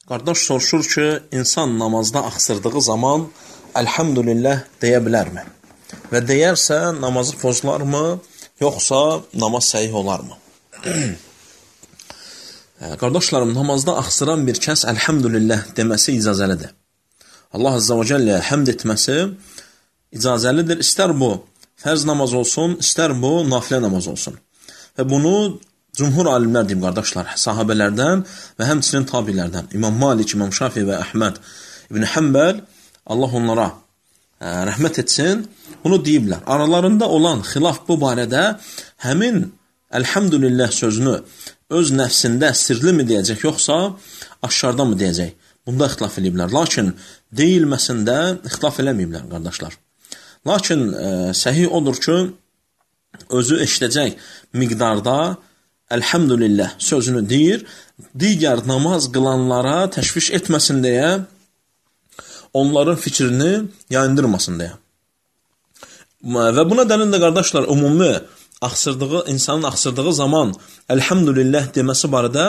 Qardaş soruşur ki, insan namazda axsırdığı zaman Elhamdülillah deyə bilərmi? Və deyərsə namazı pozularmı, yoxsa namaz səhih olarmı? Qardaşlarım, namazda axsıran bir kəs Elhamdülillah deməsi icazəlidir. Allah Azza və Cəllə həmd etməsi icazəlidir. İstər bu fərz namaz olsun, istər bu nafilə namaz olsun. Və bunu cümhur alimlər deyib, qardaşlar, sahabələrdən və həmçinin tabilərdən. İmam Malik, İmam Şafi və Əhməd İbn Həmbəl, Allah onlara rəhmət etsin, bunu deyiblər. Aralarında olan xilaf bu barədə həmin Elhamdülillah sözünü öz nəfsində sirli mi deyəcək, yoxsa aşkarda mı deyəcək? Bunda ixtilaf ediblər. Lakin deyilməsində ixtilaf eləməyiblər, qardaşlar. Lakin səhih odur ki, özü eşidəcək miqdarda Elhamdülillah sözünü deyir, digər namaz qılanlara təşviş etməsin deyə, onların fikrini yayındırmasın deyə. Və buna dəlil də, qardaşlar, ümumi insanın axsırdığı zaman Elhamdülillah deməsi barədə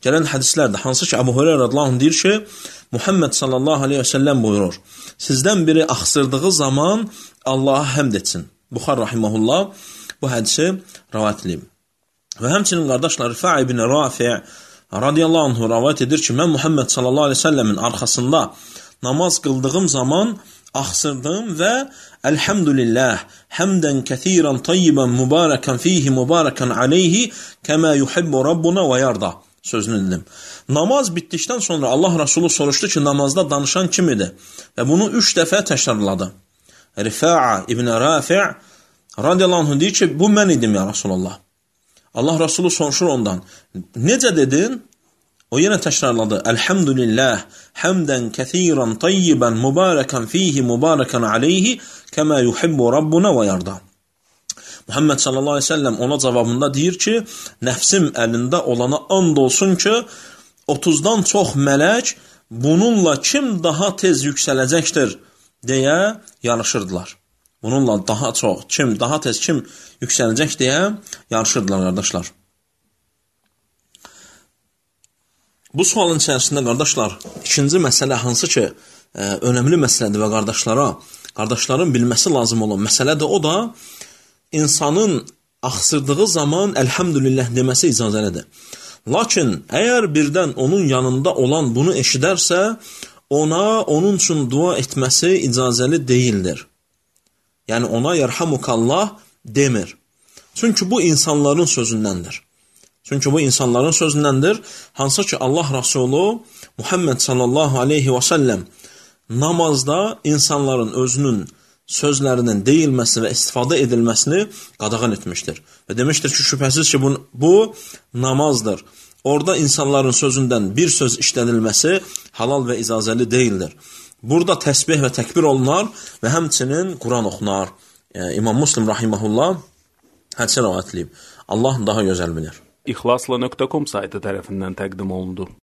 gələn hədislərdir. Hansı ki, Əbu Hüreyrə radiyallahu anh deyir ki, Muhammed sallallahu aleyhi və səlləm buyurur, sizdən biri axsırdığı zaman Allaha həmd etsin. Buxar rahiməhullah bu hədisi rivayət edib. Və həmçinin, qardaşlar, Rifai ibn Rafi' radiyallahu anh rivayət edir ki, mən Muhammed sallallahu aleyhi və səlləmin arxasında namaz qıldığım zaman axsırdım və Elhamdülillah həmdən kəsirən tayyibən mübarəkən fihi mübarəkən aleyhi kəmə yuhibbu Rabbuna və yarda sözünü dedim. Namaz bitdikdən sonra Allah Rasulü soruşdu ki, namazda danışan kim idi? Və bunu 3 dəfə təkrarladı. Rifa'a ibn Rafi' radiyallahu anh deyir ki, bu mən idim ya Rasulullah. Allah Rasulü soruşur ondan, necə dedin? O yenə təkrarladı, Elhamdülillah həmdən kəsirən tayyibən mübarəkən fihi mübarəkən aleyhi kəmə yuhibbu Rabbuna və yarda. Muhammed sallallahu aleyhi ve sellem ona cavabında deyir ki, nəfsim əlində olana and olsun ki, 30-dan çox mələk bununla kim daha tez yüksələcəkdir deyə yarışırdılar. Bununla daha çox, daha tez kim yüksələcək deyə yarışırdılar, qardaşlar. Bu sualın içərisində, qardaşlar, ikinci məsələ hansı ki, önəmli məsələdir və qardaşların bilməsi lazım olan məsələ də o da, insanın axsırdığı zaman Elhamdülillah deməsi icazəlidir. Lakin, əgər birdən onun yanında olan bunu eşidərsə, onun üçün dua etməsi icazəli deyildir. Yəni, ona yerhamukallah demir. Çünki bu insanların sözündəndir. Hansı ki, Allah Rasulü Muhammed sallallahu aleyhi və səlləm namazda insanların özünün sözlərinin deyilməsi və istifadə edilməsini qadağan etmişdir. Və demişdir ki, şübhəsiz ki, bu namazdır. Orada insanların sözündən bir söz işlənilməsi halal və icazəli deyildir. Burada təsbih və təkbir olunar və həmçinin Quran oxunar. İmam Müslim rahiməhullah hədisi rivayət edib. Allah daha gözəl bilir. İxlasla.com saytı tərəfindən təqdim olundu.